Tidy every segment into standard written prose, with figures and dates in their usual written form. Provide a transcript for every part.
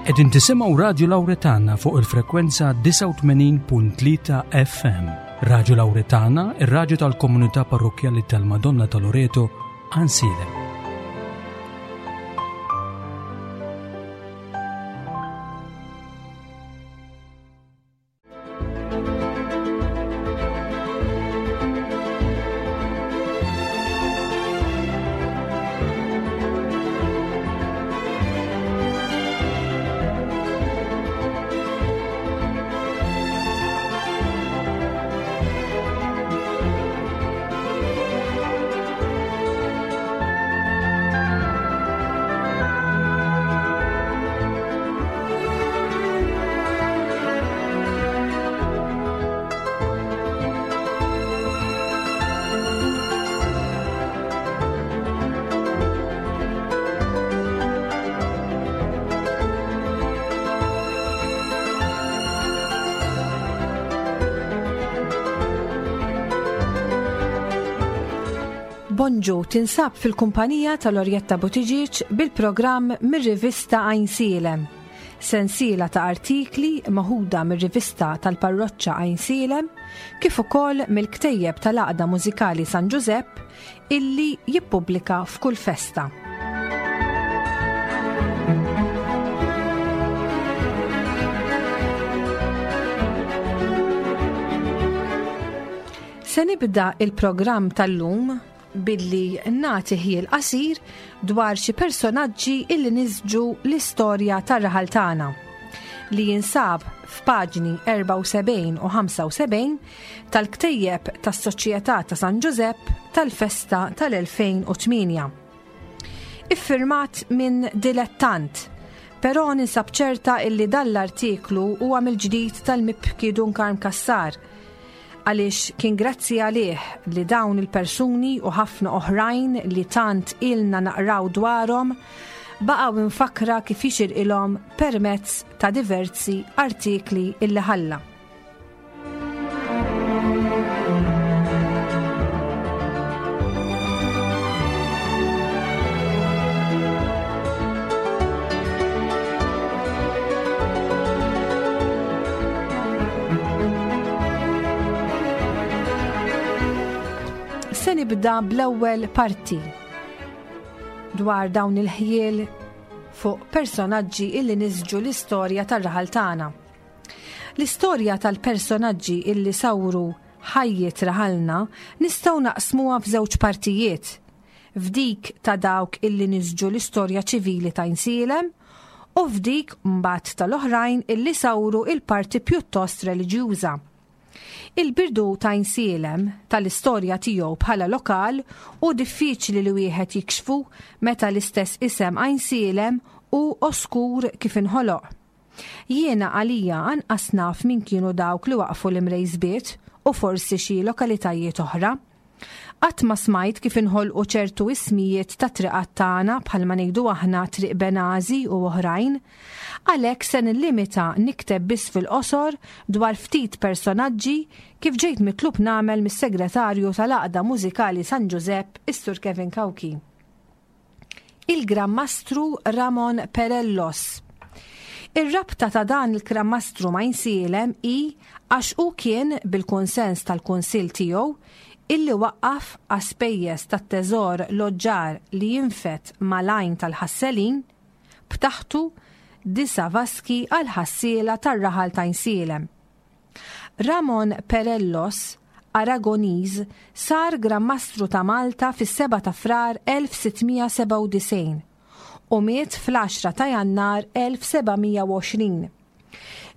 Qegħdin tisimgħu Radju Lawretana fuq il-frekwenza 89.3 FM. Radju Lawretana, ir-radju tal-komunità parrokkjali tal-Madonna ta' Loreto, Ansilem. Bonġu tinsab fil-kumpanija tal-Orjetta Buttigieg bil-programm mir-rivista Għajnsielem. Sensiela ta' artikli maħuda mir-rivista tal-Parroċċa Għajnsielem kif ukoll mill-ktejjeb tal-Għaqda Mużikali San Ġużepp illi jippubblika f'kull festa. Se nibda il-programm tal-lum billi nagħti ħjiel qasir dwar xi personaġġi illi nisġu l-istorja tar-raħal tagħna li jinsab f'paġni 74 u 75 tal-ktejjeb tas-Soċjetà ta' San Ġużepp tal-festa tal-2008. Iffirmat minn dilettant, però ninsab ċerta illi dan l-artiklu huwa mill-ġdid tal-mibki Dun Karm Cassar, għaliex kien grazzi għalih li dawn il-persuni u ħafna oħrajn li tant ilna naqraw dwarhom baqgħu imfakkra kif jixirqilhom permezz ta' diversi artikli illi ħalla. Se nibda bl-ewwel parti dwar dawn il-ħjiel fuq personaġġi illi nisġu l-istorja tar-raħal tagħna. L-istorja tal-personaġġi illi sawru ħajjet raħalna nistgħu naqsmuha f'żewġ partijiet. F'dik ta' dawk illi nisġu l-istorja ċivili ta' Għajnsielem u f'dik mbagħad tal-oħrajn illi sawru il-parti pjuttost reliġjuża. Il-birdu ta' Għajnsielem, tal-istorja tiegħu bħala lokal, hu diffiċli li wieħed jikxfu meta l-istess isem Għajnsielem hu oskur kif inħoloq. Jiena għalija anqas naf min kienu dawk li waqqfu l-Imrejsbiet u forsi xi lokalitajiet oħra. Qatt ma smajt kif inħolqu ċertu ismijiet ta' triqat tagħna bħalma ngħidu aħna Triq Benażi u oħrajn. Għalhekk se nillimita nikteb biss fil-qosor dwar ftit personaġġi kif ġejt mitlub nagħmel mis-Segretarju tal-Għaqda Mużikali San Ġużepp, is-Sur Kevin Cauchi. Il-Gran Mastru Ramon Perellos. Ir-rabta ta' dan il-Gran Mastru ma' Insielem hi għax hu kien, bil-kunsens tal-Kunsill tiegħu, illi waqqaf għas-spejjeż tat-teżor loġġar li jinfed mal-għajn tal-ħasselin, b'taħtu disa' vaski għall-ħassiela tar-raħal ta' Insielem. Ramon Perellos, Aragoniż, sar Gran Mastru ta' Malta fis-7 ta' Frar 1697 u miet fl-10 ta' Jannar 1720.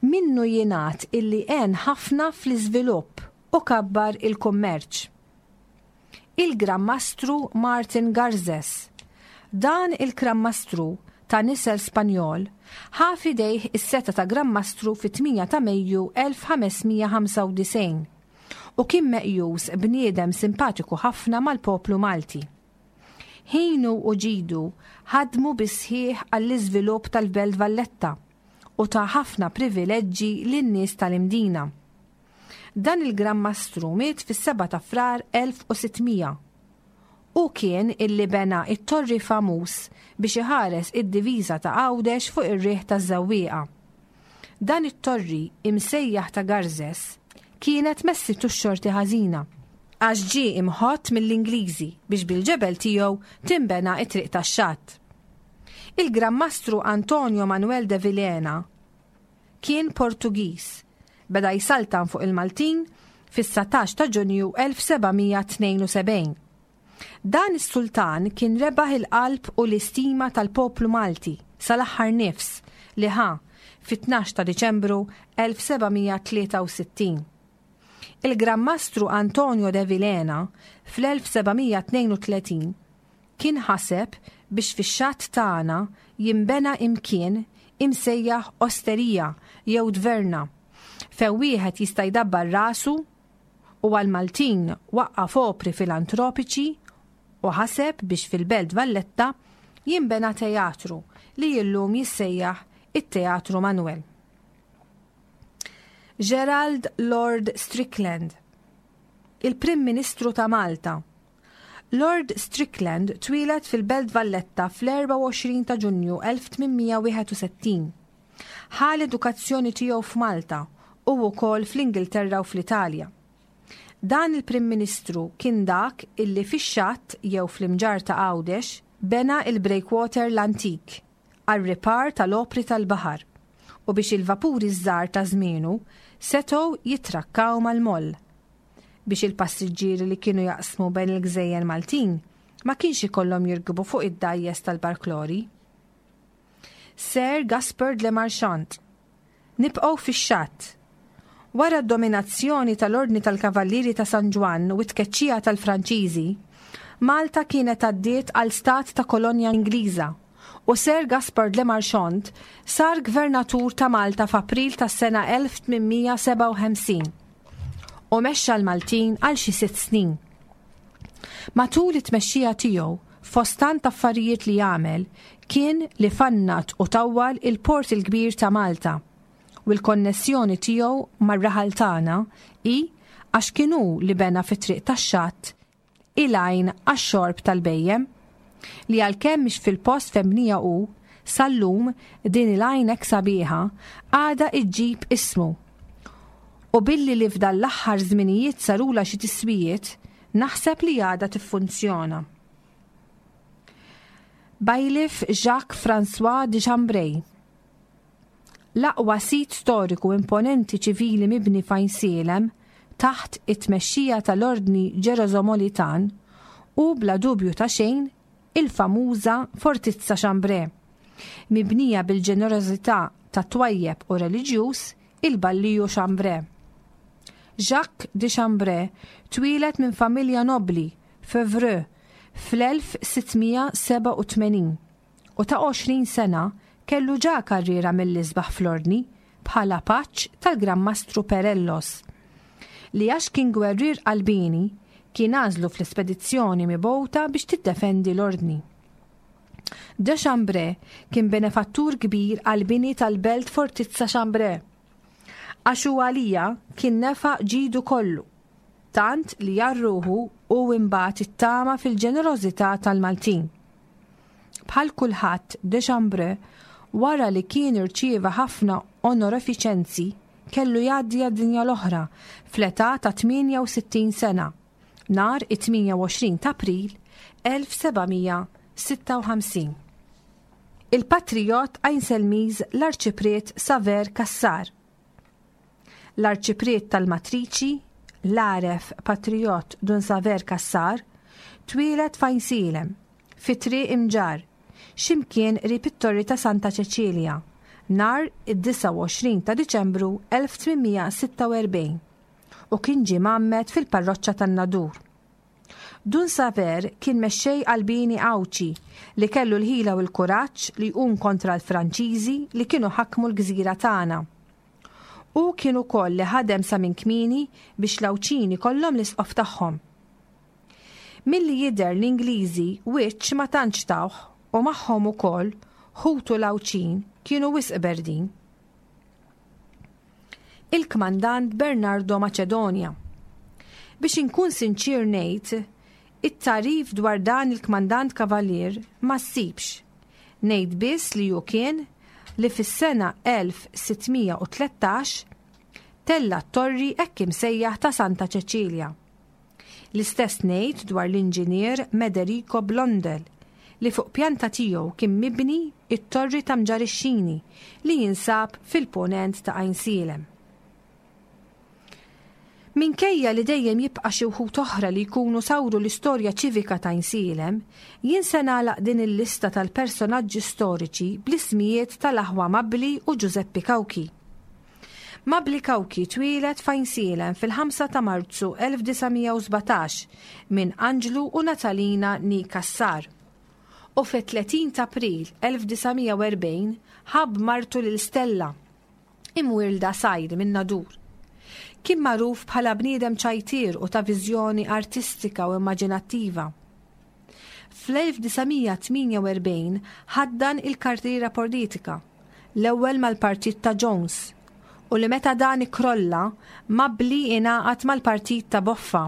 Minnu jingħad illi għen ħafna fl-iżvilupp u kabbar il-kummerċ. Il-Gran Mastru Martin Garces. Dan il-Gran Mastru, ta' nisel Spanjol, ħa f'idejh is-setgħa ta' Gran Mastru fit-8 ta' Mejju 1595 u kien meqjus bniedem simpatiku ħafna mal-poplu Malti. Ħinu u ġidu ħadmu bis-sħiħ għall-iżvilupp tal-Belt Valletta u ta ħafna privileġġi lin-nies tal-Imdina. Dan il-Gran Mastru miet fis-7 ta' Frar 1600. Hu kien illi bena it-torri famuż biex iħares id-diviża ta' Għawdex fuq ir-riħ taż-Żewwieqa. Dan it-torri, imsejjaħ ta' Garzes, kienet messitu x-xorti ħażina, għax ġie imħott mill-Ingliżi biex bil-ġebel tiegħu tinbena t-triq tax-xatt. Il-Gran Mastru Antonio Manuel de Vilhena kien Portugiż, beda jsaltan fuq il-Maltin fis-19 ta' Ġunju 1772. Dan is-sultan kien rebaħ il-qalb u l-istima tal-poplu Malti sal-aħħar nifs li ħa fit-12 ta' Diċembru 1763. Il-Gran Mastru Antonio de Vilhena fl-1732 kien ħaseb biex fix-xatt tagħna jinbena imkien imsejjaħ osterija jew tverna fejn wieħed jista' jdabbar rasu u għall-Maltin waqqaf opri filantropiċi u ħaseb biex fil-Belt Valletta jinbena teatru li illum jissejjaħ it-Teatru Manoel. Gerald Lord Strickland, il-Prim Ministru ta' Malta. Lord Strickland twieled fil-Belt Valletta fl-24 ta' Ġunju 1861. Ħa l-edukazzjoni tiegħu f'Malta u wkoll fl-Ingilterra u fl-Italja. Dan il-Prim Ministru kien dak illi fix-xatt jew fl-Imġarr ta' Għawdex bena l-breakwater l-antik għar-ripar tal-opri tal-baħar u biex il-vapuri ż-żgħar ta' żmienu setgħu jitrakkaw mal-moll. Biex il-passiġġieri li kienu jaqsmu bejn il-gżejjer Maltin ma kienx ikollhom jirkbu fuq id-dgħajjes tal-barklori. Sir Gaspard Le Marchant. Nibqgħu fix-xatt. Wara d-dominazzjoni tal-Ordni tal-Kavallieri ta' San Ġwann u t-tkeċċija tal-Franċiżi, Malta kienet għaddiet għal stat ta' kolonja Ingliża u Sir Gaspard Le Marchant sar Gvernatur ta' Malta f'April tas-sena 1857 u mexxa l-Maltin għal xi sitt snin. Matul it-tmexxija tiegħu, fost tant affarijiet li għamel, kien li fannat u tawwal il-Port il-Kbir ta' Malta u l-konnessjoni tiegħu mar-raħal tagħna hi għax kien hu li bena fit-triq tax-xatt il-għajn għax-xorb tal-bhejjem, li għalkemm mhix fil-post fejn bniha hu, sal-lum din il-għajn hekk sabiħa għadha iġġib ismu. U billi li f'dan l-aħħar żminijiet sarulha xi tiswijiet, naħseb li għadha tiffunzjona. Bailiff Jacques François de Chambray. L-aqwa sit storiku imponenti ċivili mibni f'Għajnsielem taħt it-tmexxija tal-Ordni Ġerosomolitan hu bla dubju ta' xejn il-famuża Fortizza Chambray, mibnija bil-ġenerożità tat-twajjeb u reliġjuż il-Balliju Chambray. Jacques de Chambray twieled minn familja nobbli f'Evreux fl-1687. u ta' 20 sena kellu ġa karriera mill-isbaħ fl-Ordni bħala paġġ tal-Gran Mastru Perellos, li għax kien gwerrier qalbieni kien għażlu fl-ispedizzjoni mibgħuta biex tiddefendi l-Ordni. De Chambray kien benefattur kbir għall-bini tal-belt Fortizza Chambray, għax hu għalija kien nefaq ġidu kollu, tant li għal ruħu hu imbagħad ittama fil-ġenerożità tal-Maltin. Bħal kulħadd, de Chambrun, wara li kien irċieva ħafna onorefiċenzi, kellu jgħaddi għad-dinja l-oħra fl-età ta' 68 sena, nhar it-28 t'April 1756. Il-patrijott Għajnselmiż l-Arċipriet Saver Cassar. L-Arċipriet tal-Matriċi, l-għaref patrijott Dun Saver Cassar, twieled f'Għajnsielem, fi Triq Imġarr, xi mkien qrib it-Torri ta' Santa Ċeċilja, nhar id-29 ta' Diċembru 1846 u kien ġie mgħammed fil-parroċċa tan-Nadur. Dun Saver kien mexxej qalbieni Għawdxi li kellu l-ħila u l-kuraġġ li jqum kontra l-Franċiżi li kienu ħakmu l-gżira tagħna. Hu kien ukoll li ħadem sa minn kmieni biex l-Għawdxin ikollhom l-isqof tagħhom. Milli jidher l-Ingliżi wiċċ ma tantx tawh u magħhom ukoll ħutu l-Għawdxin kienu wisq berdin. Il-Kmandant Bernardo Macedonia. Biex inkun sinċier ngħid It-tagħrif dwar dan il-Kmandant Cavalier ma ssibx. Ngħid biss li hu kien li fis-sena 1613 tella' t-torri hekk imsejjaħ ta' Santa Ċeċilja. L-istess ngħid dwar l-inġinier Mederico Blondel li fuq pjanta tiegħu kien mibni t-torri ta' Mġarixxini li jinsab fil-punent ta' Għajnsielem. Minkejja li dejjem jibqa' xi wħud oħra li jkunu sawru l-istorja ċivika t'Għajnsielem, jien se nagħlaq din il-lista tal-personaġġi storiċi bl-ismijiet tal-aħwa Mabli u Ġużeppi Cauchi. Mabli Cauchi twieled f'Għajnsielem fil-5 ta' Marzu 1917 minn Anġlu u Natalina nee Cassar u fit-30 t'April 1940 ħabb martu lil Stella, imwielda Sajr min-Nadur. Kien magħruf bħala bniedem ċajtier u ta' viżjoni artistika u immaġinattiva. Fl-1948 ħaddan il-karriera politika, l-ewwel mal-partit ta' Jones, u li meta dan ikkrolla, Mabli ingħaqad mal-partit ta' Boffa.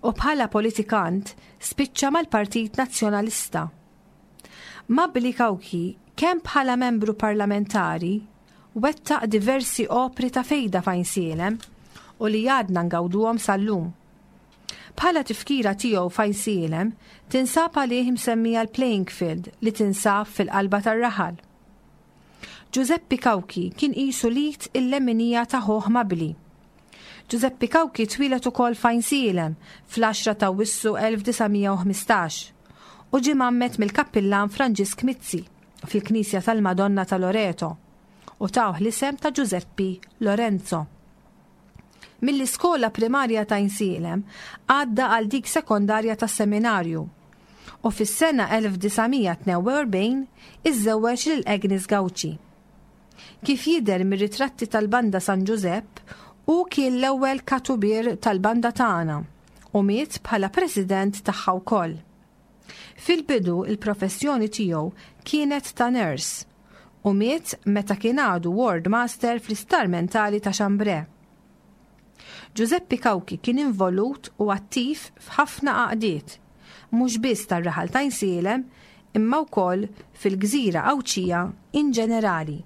U bħala politikant spiċċa mal-Partit Nazzjonalista. Mabli Cauchi kemm bħala membru parlamentari wettaq diversi opri ta' fejda f'Għajnsielem u li għadna ngawduhom sal-lum. Bħala tifkira tiegħu f'Għajnsielem tinsab għalih imsemmija l-playing field li tinsab fil-qalba tar-raħal. Ġużeppi Cauchi kien qisu l-id il-leminija ta' ħuh Mabli. Ġużeppi Cauchi twieled ukoll f'Għajnsielem fl-10 ta' Awwissu 1915 u ġie mgħammed mill-Kappillan Franġisk Mizzi fil-Knisja tal-Madonna ta' Loreto u tawh l-isem ta' Ġużeppi Lorenzo. Mill-iskola primarja ta' Għajnsielem għadda għal dik sekondarja tas-Seminarju u fis-sena 1942 iżżewweġ lil Agnes Gauci. Kif jidher mir-ritratti tal-Banda San Ġużepp, hu kien l-ewwel katubier tal-banda tagħna u miet bħala president tagħha wkoll. Fil-bidu l-professjoni tiegħu kienet ta' nurse u miet meta kien għadu ward master fl-Isptar Mentali ta' Chambray. Ġużeppi Cauchi kien involut u attiv f'ħafna għaqdiet, mhux biss tar-raħal t'Għajnsielem imma wkoll fil-gżira Għawdxija in ġenerali.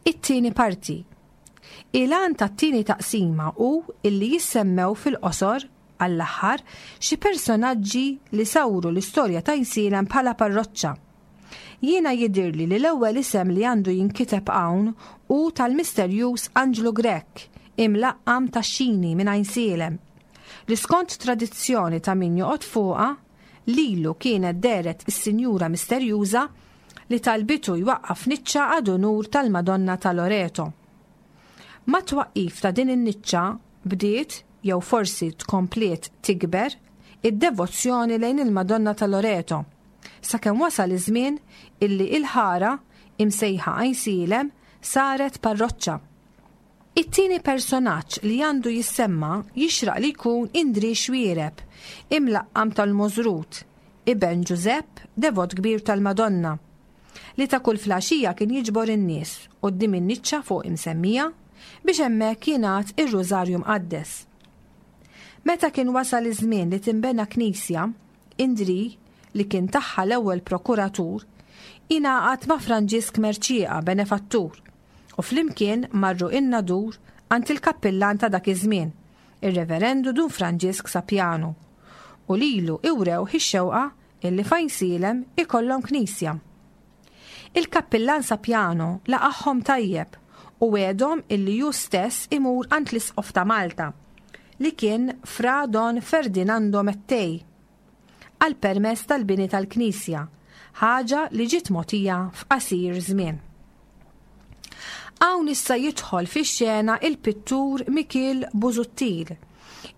It-tieni parti. Il-għan tat-tieni taqsima hu illi jissemmew fil-qosor għall-aħħar, xi personaġġi li sawru l-istorja t'Għajnsielem bħala parroċċa. Jiena jidhirli li l-ewwel isem li għandu jinkiteb hawn hu tal-misterjuż Anġlu Grech, imlaqqam Tax-Xini minn Għajnsielem, li skont tradizzjoni ta' min joqgħod fuqha, lilu kienet dehret is-Sinjura Misterjuża li talbitu jwaqqaf niċċa ad unur tal-Madonna ta' Loreto. Mat-twaqqif ta' din in-niċċa bdiet, jew forsi tkompliet tikber, id-devozzjoni lejn il-Madonna ta' Loreto, sakemm wasal iż-żmien illi il-ħara, imsejħa Għajnsielem, saret parroċċa. It-tieni personaġġ li għandu jissemma jixraq li jkun Indrì Xuereb, imlaqqam tal-Możrut, iben Ġużepp, devot kbir tal-Madonna, li ta' kull flaxija kien jiġbor in-nies quddiem in-niċċa fuq imsemmija biex hemmhekk jingħad ir-Rużarju Mqaddes. Meta kien wasal iż-żmien li tinbena knisja, Indrì, li kien tagħha l-ewwel prokuratur, ingħaqad ma' Franġisk Mercieca, benefattur, u flimkien marru in-Nadur għand il-kappillan ta' dak iż-żmien, ir-Reverendu Dun Franġisk Sapiano, u lilu iwrewh ix-xewqa illi f'Għajnsielem ikollhom knisja. Il-kappillan Sapiano laqagħhom tajjeb u wegħedhom illi hu stess imur għand l-Isqof ta' Malta, li kien Fra Don Ferdinando Mettei, għall-permess tal-bini tal-knisja, ħaġa li ġiet mogħtija f'qasir żmien. Hawn issa jidħol fix-xena il-pittur Mikiel Busuttil,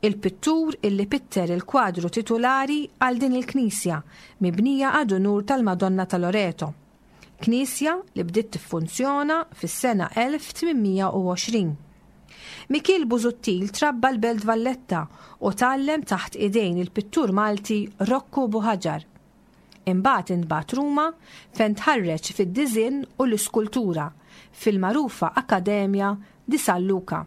il-pittur illi pitter il-kwadru titulari għal din il-knisja mibnija ad unur tal-Madonna ta' Loreto. Knisja li bdiet tiffunzjona fis-sena 1820. Mikiel Busuttil trabba l-Belt Valletta u tgħallem taħt idejn il-pittur Malti Rokku Buhaġar. Imbagħad intbagħat Ruma fejn tħarreġ fid-diżinn u l-iskultura fil-magħrufa Accademia di San Luca.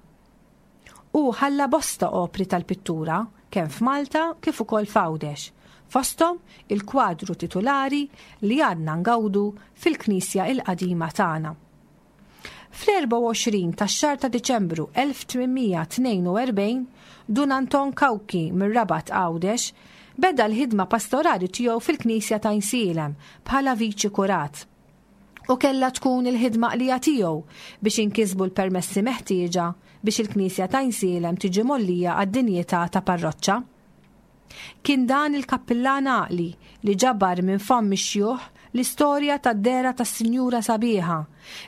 Hu ħalla bosta opri tal-pittura kemm f'Malta kif ukoll f'Għawdex, fosthom il-kwadru titulari li għadna ngawdu fil-knisja l-qadima tagħna. Fl-24 tax-xahar ta' Diċembru 1842, Dun Anton Cauchi mir-Rabat Għawdex beda l-ħidma pastorali tiegħu fil-knisja ta' Għajnsielem bħala viċi kurat. U kellha tkun il-ħidma qlija tiegħu biex inkisbu l-permessi meħtieġa biex il-knisja ta' Għajnsielem tiġi mgħollija għad-dinjità ta' parroċċa. Kien dan il-kappillan għaqli li ġabar minn fomm ix-xjuħ l-istorja tad-dehra tas-Sinjura Sabiħa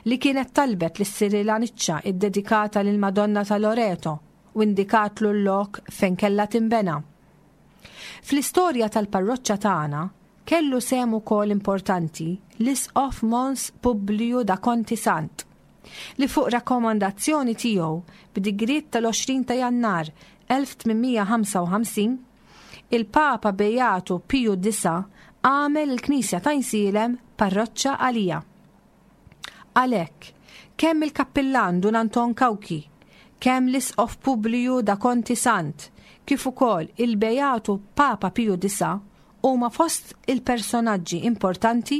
li kienet talbet li ssirilha niċċa ddedikata lill-Madonna ta' Loreto u indikatlu l-lok fejn kellha tinbena. Fl-istorja tal-parroċċa tagħna kellu sehem ukoll importanti l-Isqof Mons Publiju da Conti Sant li fuq rakkomandazzjoni tiegħu b'digriet tal-20 ta' Jannar 1855, il-Papa Beatu Piju Disa' għamel il-knisja t'Għajnsielem parroċċa għaliha. Għalhekk, kemm il-kappillan Dun Anton Cauchi, kemm l-Isqof Publiju da Conti Sant, kif ukoll il-Beatu Papa Piju Disa' huma fost il-personaġġi importanti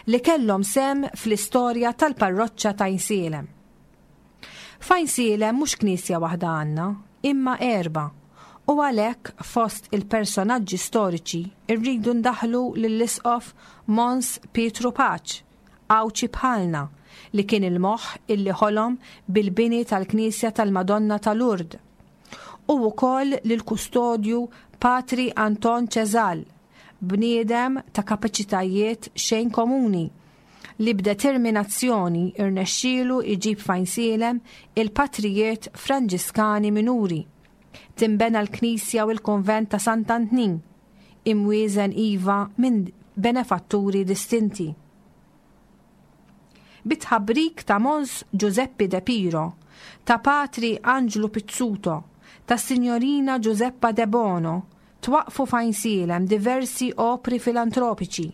li kellhom sehem fl-istorja tal-parroċċa t'Għajnsielem. F'Għajnsielem mhux knisja waħda għandna, imma erbgħa, u għalhekk fost il-personaġġi storiċi rridu ndaħħlu lill-Isqof Mons Pietru Paċ, Għawdxi bħalna, li kien il-moħħ illi ħolom bil-bini tal-knisja tal-Madonna ta' Lourdes, u wkoll lill-kustodju Patri Anton Cesal, bniedem ta' kapaċitajiet xejn komuni, li b'determinazzjoni rnexxielu jġib f'Għajnsielem il-patrijiet Franġiskani Minuri. Tinbena l-knisja u l-kunvent ta' Sant'Antnin, imwieżen iva minn benefatturi distinti. Bit-tħabrik ta' Mons Ġużeppi De Piro, ta' Patri Anġlu Pizzuto, tas-Sinjorina Ġużeppa Debono, twaqqfu f'Għajnsielem diversi opri filantropiċi.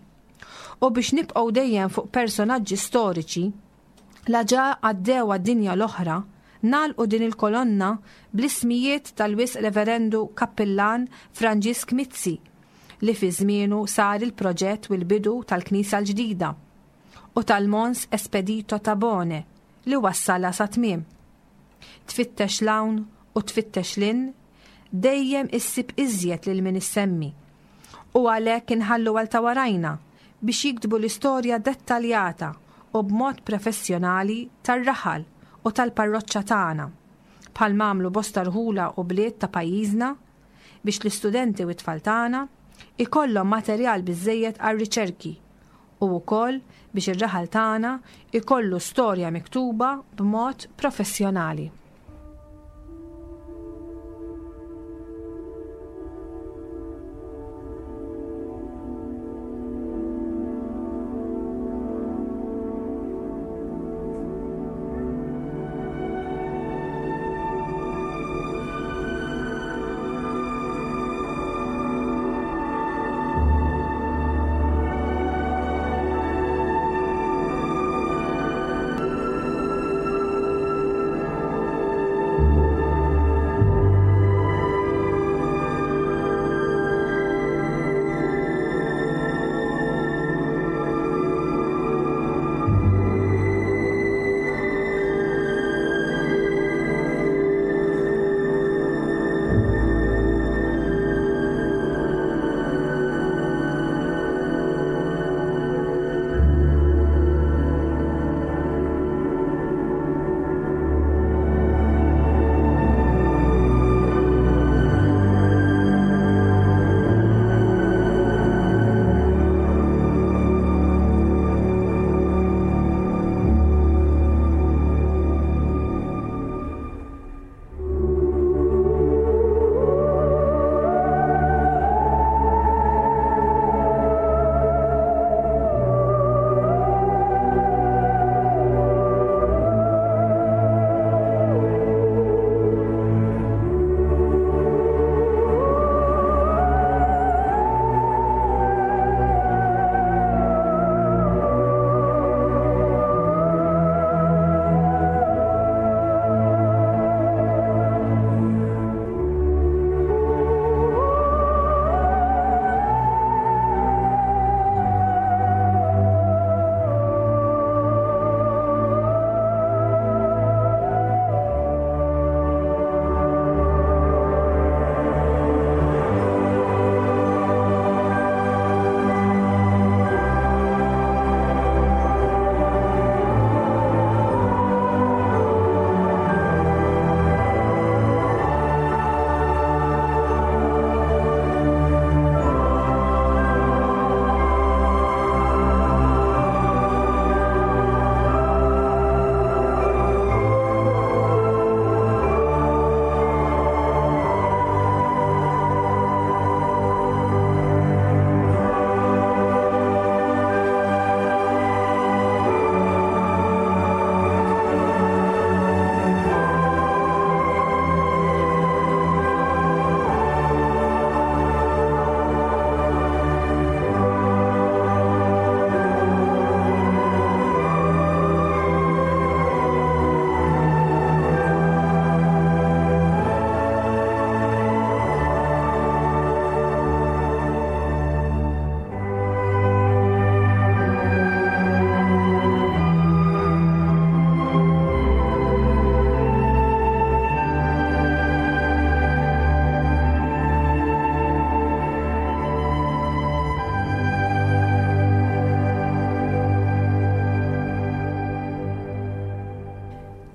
U biex nibqgħu dejjem fuq personaġġi storiċi, la ġa għaddew għad-dinja l-oħra, nagħlqu din il-kolonna bl-ismijiet tal-Wisq Reverendu Kappillan Franġisk Mizzi, li fi żmienu sar il-proġett u l-bidu tal-knisja l-ġdida, u tal-Mons Espedito Tabone li wassalha sat-tmiem. Tfittex 'l hawn u tfittex 'l hinn, dejjem issib iżjed lil min issemmi. U għalhekk inħallu għal ta' warajna biex jiktbu l-istorja dettaljata u b'mod prefessjonali tar-raħal u tal-parroċċa tagħna, bħal m'għamlu bosta rħula u bliet ta' pajjiżna biex l-istudenti u t-tfal tagħna jkollhom materjal biżżejjed għar-riċerki u wkoll biex ir-raħal tagħna jkollu storja miktuba b'mod professjonali.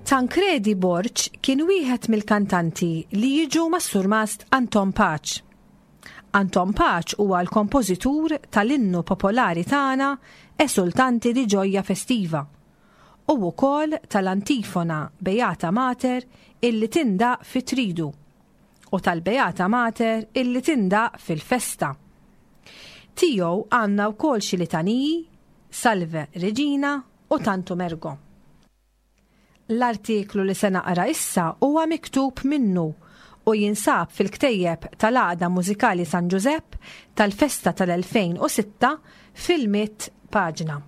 Tancredi Borg kien wieħed mill-kantanti li jiġu mas-Surmast Anton Paċ. Anton Paċ huwa l-kompożitur tal-innu popolari tagħna Esultanti di Gioia Festiva u wkoll tal-antifona Beata Mater illi tindaqq fit-Tridu u tal-Beata Mater illi tindaqq fil-festa. Tiegħu għandna wkoll xi litaniji, Salve Regina u Tantum Ergo. L-artiklu li se naqra issa huwa miktub minnu u jinsab fil-ktejjeb tal-Għaqda Mużikali San Ġużepp tal-festa tal-2006 fil-mitt paġna.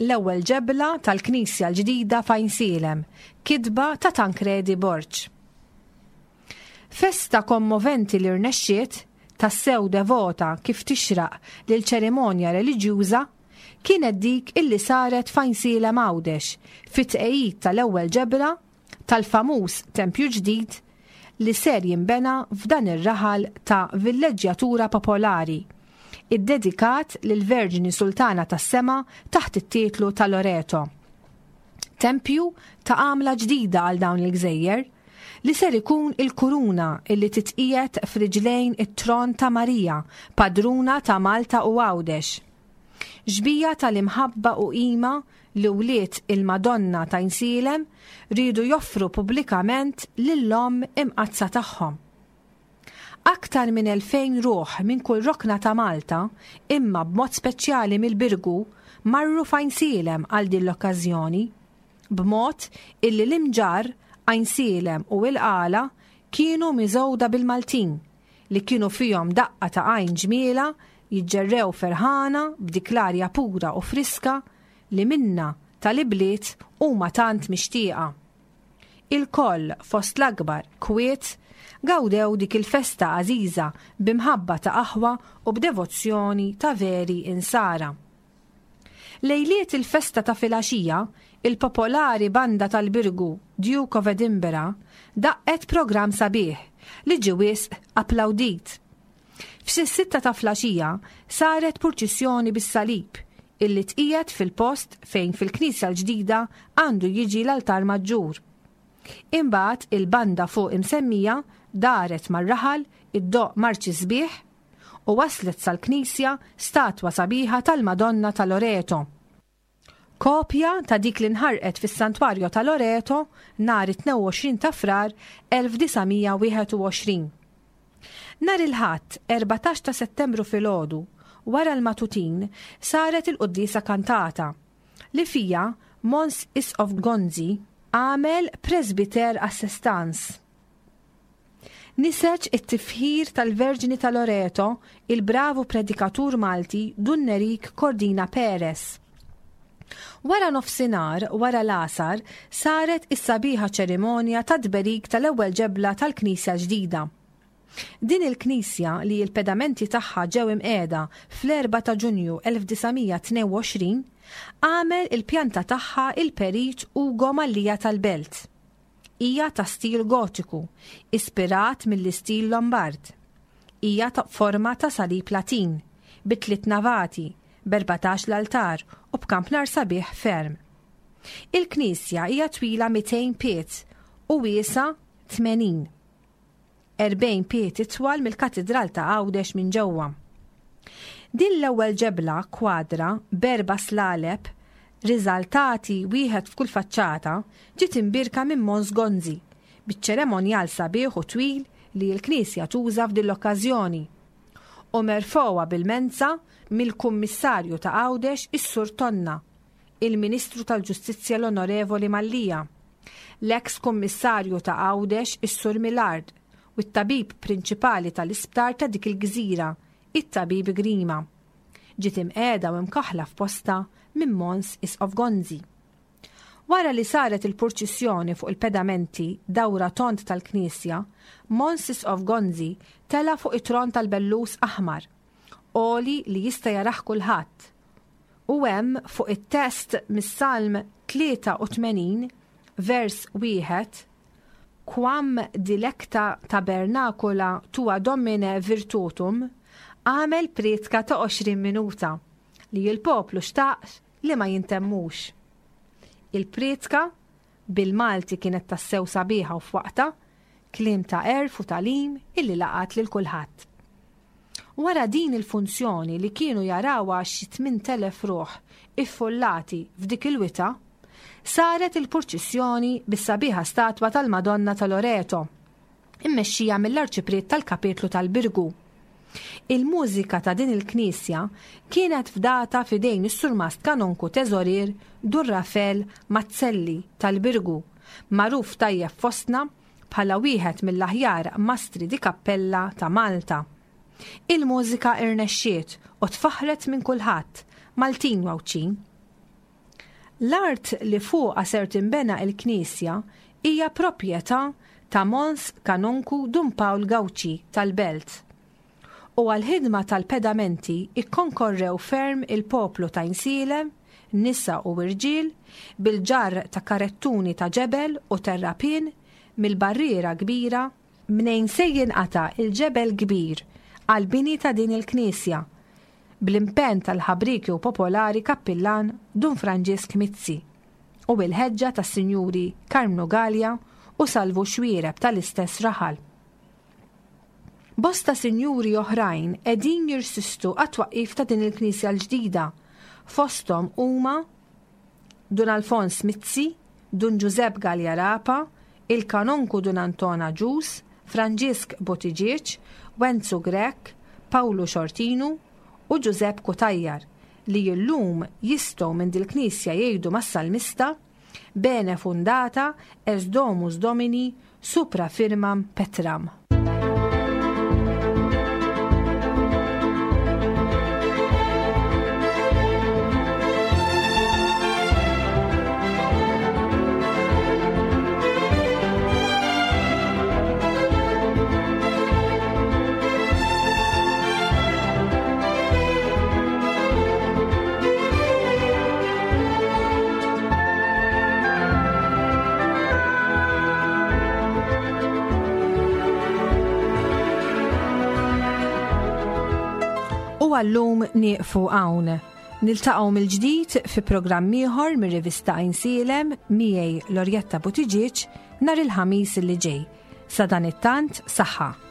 L-ewwel ġebla tal-knisja l-ġdida f'Għajnsielem, kitba ta' Tancredi Borg. Festa kommoventi li rnexxiet, tassew devota kif tixraq lil ċerimonja reliġjuża, kienet dik illi saret f'Għajnsielem Għawdex fit-tqegħid tal-ewwel ġebla tal-famuż tempju ġdid li ser jinbena f'dan ir-raħal ta' villeġġjatura popolari, iddedikat lill-Verġni Sultana tas-Sema taħt it-titlu ta' Loreto. Tempju ta' għamla ġdida għal dawn il-gżejjer, li ser ikun il-kuruna illi titqiegħed f'riġlejn it-tron ta' Marija, padruna ta' Malta u Għawdex. Xbieha tal-imħabba u qima li wlied il-Madonna t'Għajnsielem riedu joffru pubblikament lill-Omm Imqaddsa tagħhom. Aktar minn 2,000 ruħ minn kull rokna ta' Malta, imma b'mod speċjali mill-Birgu, marru f'Għajnsielem għal din l-okkażjoni, b'mod illi l-Imġarr, Għajnsielem u l-Qala kienu miżgħuda bil-Maltin, li kienu fihom daqqa ta' għajn ġmielha jiġġerrew ferħana b'dik l-arja pura u friska li minnha tal-ibliet huma tant mixtieqa. Ilkoll fost l-akbar kwiet gawdew dik il-festa għażiża b'imħabba ta' aħwa u b'devozzjoni ta' veri Insara. Lejliet il-festa ta' filgħaxija, il-popolari banda tal-Birgu, Duke of Edinburgh, daqqet programm sabiħ li ġie wisq applawdit. F'xi s-sitta ta' flaxija saret purċissjoni bis-salib illi tqiegħed fil-post fejn fil-knisja l-ġdida għandu jiġi l-altar maġġur. Imbagħad il-banda fuq imsemmija daret mar-raħal iddoqq marċi sbieħ u waslet sal-knisja statwa sabiħa tal-Madonna ta' Loreto. Kopja ta' dik li nħarqet fis-Santwarjo ta' Loreto nhar it-22 ta' Frar 1921. Nhar il-Ħadd, 14 ta' Settembru filgħodu, wara l-matutin, saret il-quddiesa kantata, li fiha Mons Isqof Gonzi għamel Presbyter Assistance. Niseġ it-tifħir tal-Verġni ta' Loreto il-bravu predikatur Malti Dun Nerik Cordina Perez. Wara nofsinhar, wara l-għasar, saret is-sabiħa ċerimonja tat-tberik tal-ewwel ġebla tal-knisja l-ġdida. Din il-knisja li l-pedamenti tagħha ġew imqiegħda fl-4 ta' Ġunju 1922, għamel il-pjanta tagħha il-Perit Ugo Mallia tal-Belt. Hija ta' stil Gotiku, ispirat mill-istil Lombard. Hija ta' forma ta' salib Latin, bi tliet navati, b'erbatax l-altar u b'kampnar sabiħ ferm. Il-knisja hija twila 200 pied u wiesgħa 80. 40 pied itwal mill-Katidral ta' Għawdex minn ġewwa. Din l-ewwel ġebla kwadra b'erba' slaleb riżaltati wieħed f'kull faċċata ġiet imbierka minn Mons Gonzi biċ-ċeremonjal sabiħ u twil li l-Knisja tuża f'din l-okkażjoni u merfgħuha bil-menza mill-Kummissarju ta' Għawdex is-Sur Tonna, il-Ministru tal-Ġustizzja l-Onorevoli Mallia, l-eks Kummissarju ta' Għawdex is-Sur Millard u t-tabib prinċipali tal-isptar ta' dik il-gżira, it-Tabib Grima. Ġiet imqiegħda u imkaħħla f'postha minn Mons Isqof Gonzi. Wara li saret il-purċissjoni fuq il-pedamenti dawra tond tal-knisja, Mons Isqof Gonzi tela' fuq it-tron tal-bellus aħmar, għoli li jista' jarah kulħadd, U hemm fuq it-test mis-Salm 83, vers wieħed, Quam dilecta tabernacula tua Domine virtutum, għamel prietka ta' 20 minuta, li l-poplu xtaq li ma jintemmux. Il-prietka, bil-Malti kienet tassew sabiħa u f'waqtha, kliem ta' għerf u tagħlim illi laqat lil kulħadd. Wara din il-funzjoni li kienu jarawha xi 8,000 ruħ iffullati f'dik il-wita, saret il-purċissjoni bis-sabiħa statwa tal-Madonna ta' Loreto, immexxija mill-Arċipriet tal-Kapitlu tal-Birgu. Il-mużika ta' din il-knisja kienet fdata f'idejn is-Surmast Kanonku Teżorier Dun Rafel Mazzelli tal-Birgu, magħruf tajjeb fostna bħala wieħed mill-aħjar mastri di cappella ta' Malta. Il-mużika irnexxiet u tfaħħret minn kulħadd, Maltin u Għawdxin. L-art li fuqha ser tinbena il-knisja hija proprjetà ta' Mons Kanonku Dun Pawl Gauci tal-Belt. U għall-ħidma tal-pedamenti kkonkorrew ferm il-poplu t'Għajnsielem, nisa u irġiel, bil-ġarr ta' karettuni ta' ġebel u terrapien mill-barriera kbira, mnejn se jinqata' l-ġebel kbir għall-bini ta' din il-knisja, bl-impenn tal-ħabrieki u popolari kappillan Dun Franġisk Mizzi u bil-ħeġġa tas-Sinjuri Karmnu Galea u Salvu Xuereb tal-istess raħal. Bosta sinjuri oħrajn qegħdin jirsistu għat-twaqqif ta' din il-knisja l-ġdida, fosthom huma Dun Alfons Mizzi, Dun Ġużepp Galea Rapa, il-Kanonku Dun Anton Agius, Franġisk Buttigieg, Wenzu Grech, Pawlu Xortinu u Ġużepp Cutajar li illum jistgħu minn dil-knisja jgħidu mas-salmista, Bene fundata est domus Domini supra firmam petram. U għallum nieqfu hawn. Niltaqgħu mill-ġdid fi programm ieħor mir-rivista Għajnsielem miegħi Lorjetta Buttigieg nhar il-Ħamis li ġej. Sadanittant saħħa.